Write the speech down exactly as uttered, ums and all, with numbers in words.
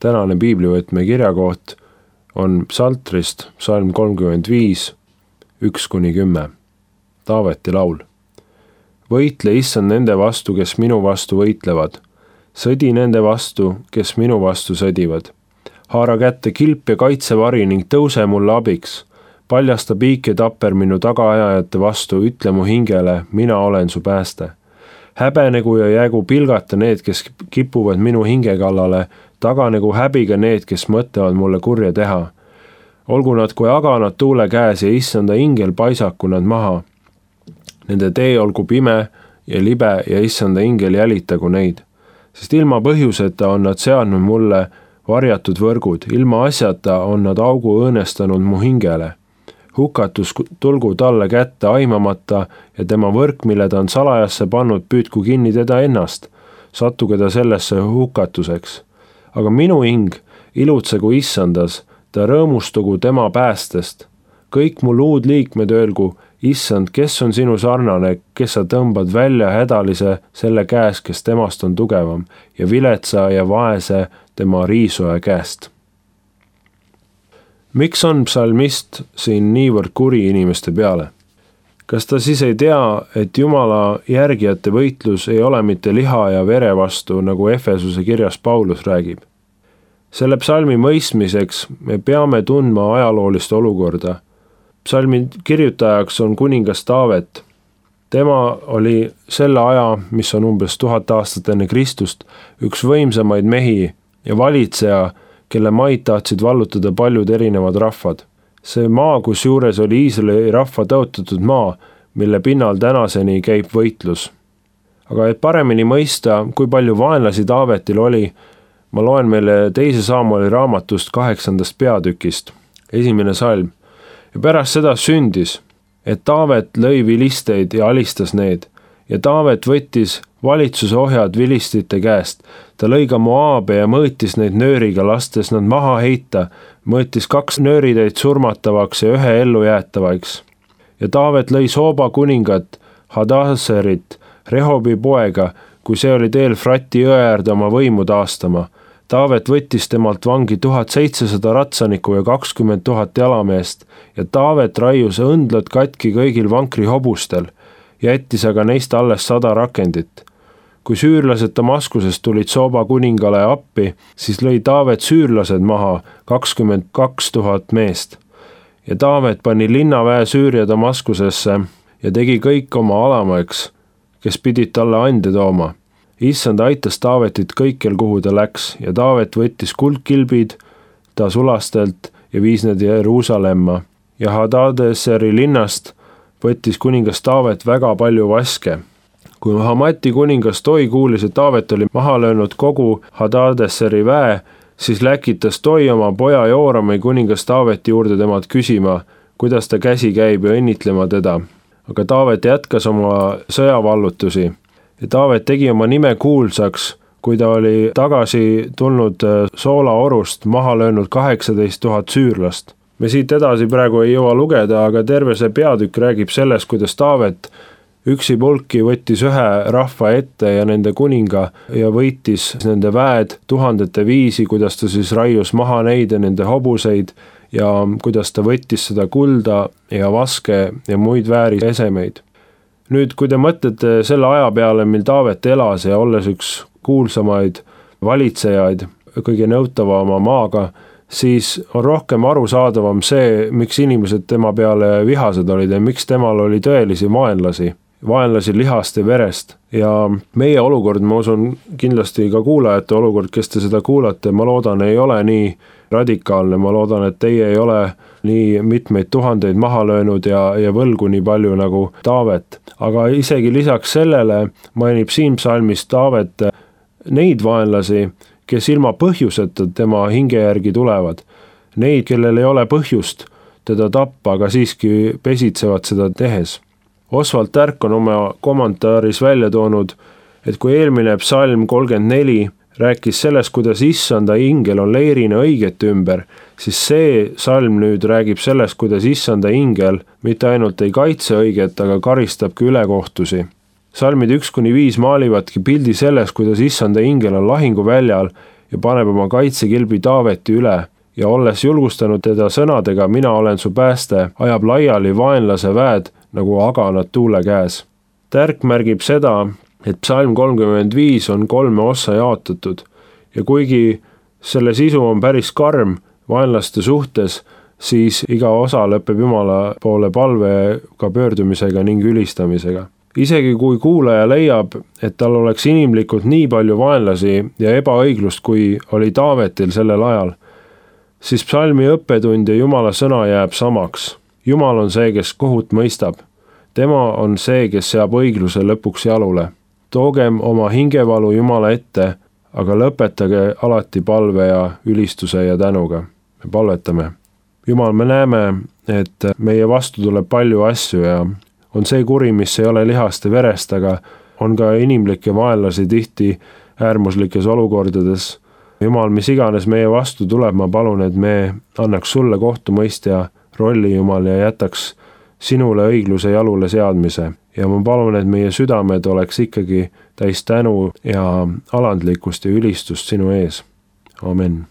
tänane piiblivõtme kirjakoht on Psaltrist, psalm kolmkümmend viis, üks kuni kümme. Taaveti laul. Võitle issand nende vastu, kes minu vastu võitlevad. Sõdi nende vastu, kes minu vastu sõdivad. Haara kätte kilp ja kaitsevari ning tõuse mulle abiks. Paljasta piik ja tapper minu tagaajajate vastu, ütle mu hingele, mina olen su pääste. Häbenegu ja jäägu pilgata need, kes kipuvad minu hinge kallale, taganegu häbiga need, kes mõtlevad mulle kurja teha. Olgu nad kui aganad tuule käes ja issanda ingel paisaku nad maha. Nende tee olgu pime ja libe ja issanda ingel jälitagu neid. Sest ilma põhjuseta on nad seadnud mulle varjatud võrgud, ilma asjata on nad augu õõnestanud mu hingele. Hukatus tulgu talle kätte aimamata ja tema võrk, mille ta on salajasse pannud, püüdku kinni teda ennast. Sattuge ta sellesse hukatuseks. Aga minu hing ilutsegu issandas, ta rõõmustugu tema päästest. Kõik mu luud liikmed öelgu, issand, kes on sinu sarnane, kes sa tõmbad välja hädalise selle käes, kes temast on tugevam ja viletsa ja vaese tema riisuja käest. Miks on psalmist siin niivõrd kuri inimeste peale? Kas ta siis ei tea, et Jumala järgijate võitlus ei ole mitte liha ja vere vastu, nagu Efesuse kirjas Paulus räägib? Selle psalmi mõistmiseks me peame tundma ajaloolist olukorda. Psalmi kirjutajaks on kuningas Taavet. Tema oli selle aja, mis on umbes tuhat aastat enne Kristust, üks võimsamaid mehi ja valitseja, kelle maid tahtsid vallutada paljud erinevad rahvad. See maa, kus juures oli Iisraeli rahva tõotatud maa, mille pinnal tänaseni käib võitlus. Aga et paremini mõista, kui palju vaenlasi Taavetil oli, ma loen meile teise Saamueli raamatust kaheksandast peatükist, esimene salm. Ja pärast seda sündis, et Taavet lõi vilisteid ja alistas need, ja Taavet võttis valitsuse ohjad vilistite käest. Ta lõi ka Moaabe ja mõõtis neid nööriga, lastes nad maha heita, mõõtis kaks nöörideid surmatavaks ja ühe ellu jäetavaiks. Ja Taavet lõi Sooba kuningat, Hadaserit, Rehobi poega, kui see oli teel Frati jõe äärde oma võimu taastama. Taavet võttis temalt vangi tuhat seitsesada ratsanikku ja kakskümmend tuhat jalameest ja Taavet raius õndlad katki kõigil vankri hobustel, jättis aga neist alles sada rakendit. Kui süürlased Damaskusest tulid Sooba kuningale appi, siis lõi Taavet süürlased maha kakskümmend kaks tuhat meest. Ja Taavet pani linnaväe Süüria Damaskusesse ja tegi kõik oma alamaks, kes pidid talle ande tooma. Issand aitas Taavetit kõikjal, kuhu ta läks, ja Taavet võttis kuldkilbid ta sulastelt ja viis need Jeruusalemma. Ja Hadadeseri linnast võttis kuningas Taavet väga palju vaske. Kui Hamati kuningas Toi kuulis, et Taavet oli maha löönud kogu Hadadeseri väe, siis läkitas Toi oma poja Joorami kuningas Taaveti juurde temalt küsima, kuidas ta käsi käib ja õnnitlema teda. Aga Taavet jätkas oma sõjavallutusi. Ja Taavet tegi oma nime kuulsaks, kui ta oli tagasi tulnud Soolaorust maha löönud kaheksateist tuhat süürlast. Me siit edasi praegu ei jõua lugeda, aga terve see peatükk räägib sellest, kuidas Taavet üksi pulki võttis ühe rahva ette ja nende kuninga ja võitis nende väed tuhandete viisi, kuidas ta siis raius maha neid ja nende hobuseid ja kuidas ta võttis seda kulda ja vaske ja muid vääri esemeid. Nüüd, kui te mõtlete selle aja peale, mil Taavet elas ja olles üks kuulsamaid valitsejaid kõige nõutavama maaga, siis on rohkem arusaadavam see, miks inimesed tema peale vihased olid ja miks temal oli tõelisi vaenlasi, vaenlasi lihast ja verest. Ja meie olukord, ma usun kindlasti ka kuulajate olukord, kes te seda kuulate, ma loodan, ei ole nii radikaalne, ma loodan, et teie ei ole nii mitmeid tuhandeid maha löönud ja, ja võlgu nii palju nagu Taavet. Aga isegi lisaks sellele mainib siin psalmis Taavet neid vaenlasi, kes ilma põhjuseta tema hinge järgi tulevad. Neid, kellel ei ole põhjust teda tappa, aga siiski pesitsevad seda tehes. Oswald Tärk on oma kommentaaris välja toonud, et kui eelmine psalm kolmkümmend neli rääkis sellest, kuidas issanda ingel on leirina õigete ümber, siis see salm nüüd räägib sellest, kuidas issanda ingel mitte ainult ei kaitse õiget, aga karistabki ülekohtusi. Salmid üks kuni viis maalivadki pildi sellest, kuidas issanda ingel on lahinguväljal ja paneb oma kaitsekilbi Taaveti üle ja olles julgustanud teda sõnadega mina olen su pääste, ajab laiali vaenlase väed nagu aganad tuule käes. Tärk märgib seda, et psalm kolmkümmend viis on kolme ossa jaotatud ja kuigi selle sisu on päris karm vaenlaste suhtes, siis iga osa lõpeb Jumala poole palvega pöördumisega ning ülistamisega. Isegi kui kuulaja leiab, et tal oleks inimlikult nii palju vaenlasi ja ebaõiglust, kui oli Taavetil sellel ajal, siis psalmi õppetund ja Jumala sõna jääb samaks. Jumal on see, kes kohut mõistab. Tema on see, kes seab õigluse lõpuks jalule. Toogem oma hingevalu Jumala ette, aga lõpetage alati palve ja ülistuse ja tänuga. Me palvetame. Jumal, me näeme, et meie vastu tuleb palju asju ja on see kuri, mis ei ole lihast ja verest, aga on ka inimlikke vaenlasi tihti äärmuslikes olukordades. Jumal, mis iganes meie vastu tuleb, ma palun, et me annaks sulle kohtumõistja rolli, Jumal, ja jätaks sinule õigluse jalule seadmise. Ja ma palun, et meie südamed oleks ikkagi täis tänu ja alandlikkust ja ülistust sinu ees. Amen.